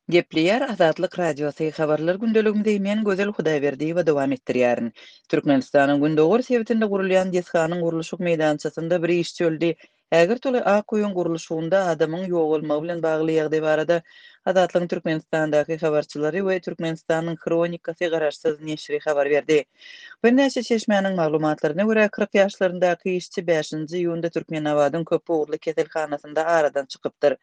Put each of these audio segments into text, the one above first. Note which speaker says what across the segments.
Speaker 1: Gepleýär Azatlyk Radiosy, Habarlar gündeligimizi men Gözel Hudaýberdiýewa dowam etdirýärin. Türkmenistanyň gündogar sebitinde gurulýan desganyň gurluşyk meýdançasynda bir işçi öldi. Ägirt uly ak öýüň gurluşygynda adamyň ýogalmagy bilen bagly ýagdaý barada Azatlygyň Türkmenistandaky habarçylary we Türkmenistanyň Hronikasy garaşsyz neşiri habar berdi. Birnäçe çeşmäniň maglumatlaryna görä, 40 ýaşlaryndaky işçi bäşinji iýunda Türkmenabadyň köp ugurly keselhanasynda aradan çykypdyr.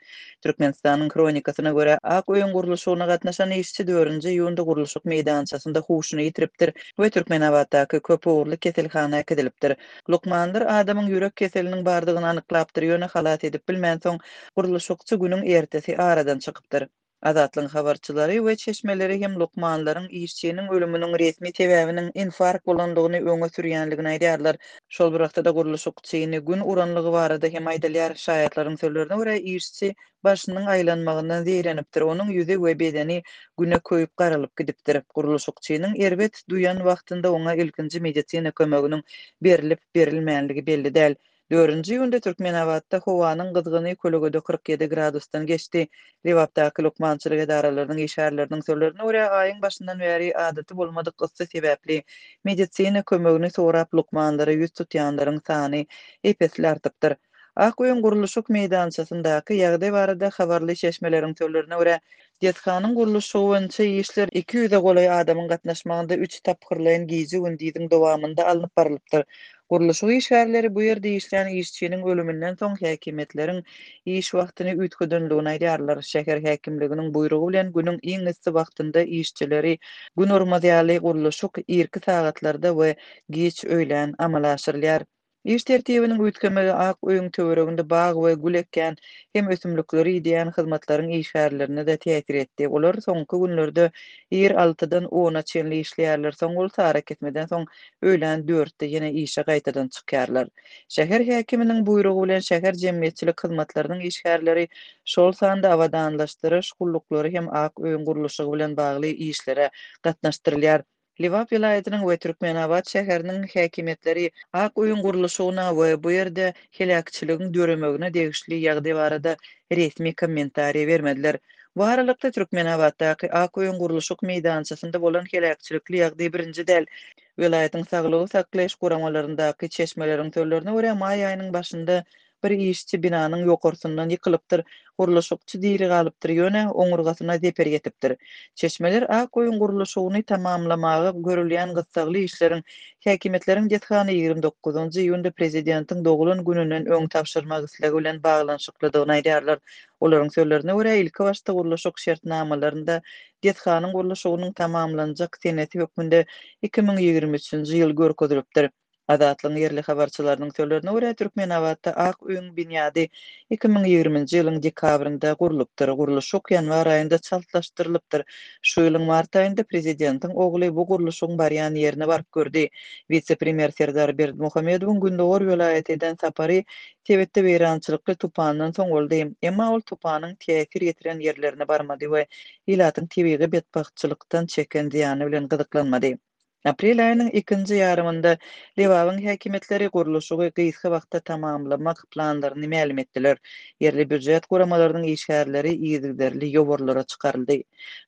Speaker 1: Türkmenistanyň Hronikasyna görä, Ak öýüň gurluşygyna gatnaşan işçi dördünji iýunda gurluşyk meýdançasynda huşuny ýitiripdir we Türkmenabatdaky köp ugurly keselhana äkidilipdir. Lukmanlar adamyň ýürek keseliniň bardygyny anyklapdyr, ýöne halas edip bilmänsoň, gurluşykçy günüň ertesi aradan çykypdyr. Azatlygyň habarçylary we çeşmeleri hem lukmanlaryň işçiniň ölüminiň resmi sebäbiniň infarkt bolandygyny öňe sürýänligini aýdýarlar. Şol bir wagtda-da gurluşykçyny gün uranlygy barada hem aýdylýar. Şaýatlaryň sözlerine görä, işçi başynyň aýlanmagyndan zeýrenipdir, onuň ýüzi we bedeni güne köýüp garalyp gidipdir. Gurluşykçynyň erbet duýan wagtynda oňa ilkinji medisina kömeginiň berlip-berilmänligi belli däl. Dördünji iýunda Türkmenabatda howanyň gyzgyny kölegede 47 gradusdan geçdi. Lebapdaky lukmançylyk edaralarynyň işgärleriniň sözlerine görä, aýyň başyndan bäri adaty bolmadyk yssy sebäpli medisina kömegini sorap lukmanlara ýüz tutýanlaryň sany ep-esli artypdyr. Ak öýüň gurluşyk meýdançasyndaky ýagdaý barada habarly çeşmeleriň sözlerine görä, desganyň gurluşygy boýunça işler 200-e golaý adamyň gatnaşmagynda üç tapgyrlaýyn gije-gündiziň dowamynda alnyp barylypdyr. Gurluşyk işgärleri bu ýerde işlän işçiniň ölüminden soň häkimiýetleriň iş wagtyny üýtgedendigini aýdýarlar. Şäher häkimliginiň buýrugy bilen günüň iň yssy wagtynda işçileri gün urmaz ýaly gurluşyk irki sagatlarda we giç öýlän amala aşyrylýar. Iş tertibiniň üýtgemegi Ak öýüň töwereginde bag we gül ekýän hem ösümlikleri ideýän hyzmatlaryň işgärlerine-de täsir etdi. Olar soňky günlerde ir altydan ona çenli işleýärler, soň bolsa arakesmeden soň öýlän dörtde ýene işe gaýtadan çykýarlar. Şäher häkiminiň buýrugy bilen şäher jemgyýetçilik hyzmatlarynyň işgärleri, şol sanda abadanlaşdyryş gulluklary hem Ak öýüň gurluşygy bilen bagly işlere gatnaşdyrylýar. Lebap welaýatynyň we Türkmenabat şäheriniň häkimiýetleri Ak öýüň gurluşygyna we bu ýerde heläkçiligiň döremegine degişli ýagdaý barada resmi kommentariý bermediler. Bu aralykda, Türkmenabatdaky Ak öýüň gurluşyk meýdançasynda bolan heläkçilikli ýagdaý birinji däl. Welaýatyň saglygy saklaýyş guramalaryndaky çeşmeleriň sözlerine görä, maý aýynyň başynda Bir işçi binanyň ýokarsyndan ýykylypdyr, gurluşykçy diri galypdyr, ýöne oňurgasyna zeper ýetipdir. Çeşmeler Ak öýüň gurluşygyny tamamlamaga görülýän gyssagly işleriň häkimiýetleriň desgany 29 iýunda prezidentiň doglan gününden öň tabşyrmak islegi bilen baglanyşyklydygyny aýdýarlar. Olaryň sözlerine görä, ilkibaşda gurluşyk şertnamalarynda desganyň gurluşygynyň tamamlanjak senesi hökmünde 2023-nji ýyl görkezilipdir. Azatlygyň ýerli habarçylarynyň sözlerine görä, Türkmenabatda Ak öýüň binýady 2020-nji ýylyň dekabrynda gurlupdyr. Gurluşyk ýanwar aýynda çaltlaşdyrylypdyr. Şu ýylyň mart aýynda prezidentiň ogly bu gurluşygyň barýan ýerine baryp gördi. Wise-premýer Serdar Berdimuhamedowyň gündogar welaýata eden sapary sebitde weýrançylykly tupandan soň boldy. Emma ol tupanyň täsir ýetiren ýerlerine barmady we ilatyň tebigy betbagtçylykdan çeken zyýany bilen gyzyklanmady. Aprel aýynyň ikinji ýarymynda Lebabyň häkimiýetleri gurluşygy gysga wagtda tamamlamak planlaryny mälim etdiler. Ýerli býujet guramalarynyň işgärleri yzygiderli ýowarlara çykaryldy.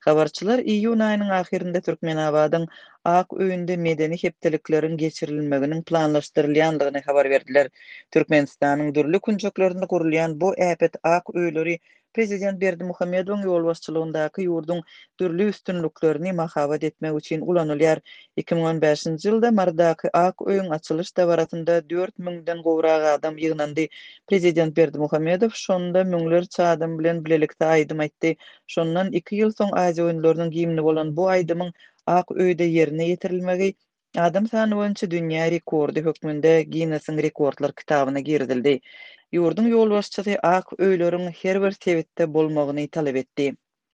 Speaker 1: Habarçylar iýun aýynyň ahyrynda Türkmenabadyň Ak öýünde medeni hepdelikleriň geçirilmeginiň planlaşdyrylýandygyny habar berdiler. Türkmenistanyň dürli künjeklerinde gurulýan bu äpet ak öýleri Prezident Berdimuhamedowyň ýolbaşçylygyndaky ýurduň dürli üstünliklerini mahabat etmek üçin ulanylýar. 2015-nji ýylda Marydaky Ak öýüň açylyş dabarasynda dört müňden gowrak adam ýygnandy. Prezident Berdimuhamedow şonda müňlerçe adam bilen bilelikde aýdym aýtdy. Şondan iki ýyl soň Aziýa oýunlarynyň gimni bolan bu aýdymyň Ak öýde ýerine ýetirilmegi Adam sany boýunça dünýä rekordy hökmünde Ginnesiň rekordlar kitabyna girizildi. Ýurduň ýolbaşçysy ak öýleriň her bir sebitde bolmagyny talap etdi.